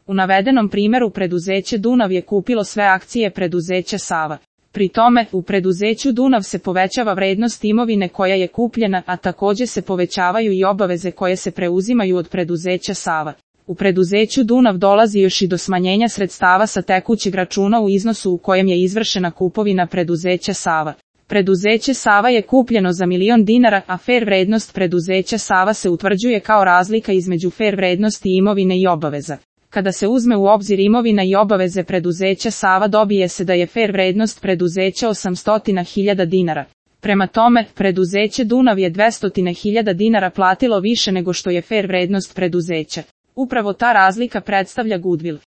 U navedenom primjeru preduzeće Dunav je kupilo sve akcije preduzeća Sava. Pri tome, u preduzeću Dunav se povećava vrednost imovine koja je kupljena, a također se povećavaju i obaveze koje se preuzimaju od preduzeća Sava. U preduzeću Dunav dolazi još i do smanjenja sredstava sa tekućeg računa u iznosu u kojem je izvršena kupovina preduzeća Sava. Preduzeće Sava je kupljeno za 1.000.000 dinara, a fer vrednost preduzeća Sava se utvrđuje kao razlika između fer vrednosti imovine i obaveza. Kada se uzme u obzir imovina i obaveze preduzeća Sava, dobije se da je fer vrednost preduzeća 800.000 dinara. Prema tome, preduzeće Dunav je 200.000 dinara platilo više nego što je fer vrednost preduzeća. Upravo ta razlika predstavlja goodwill.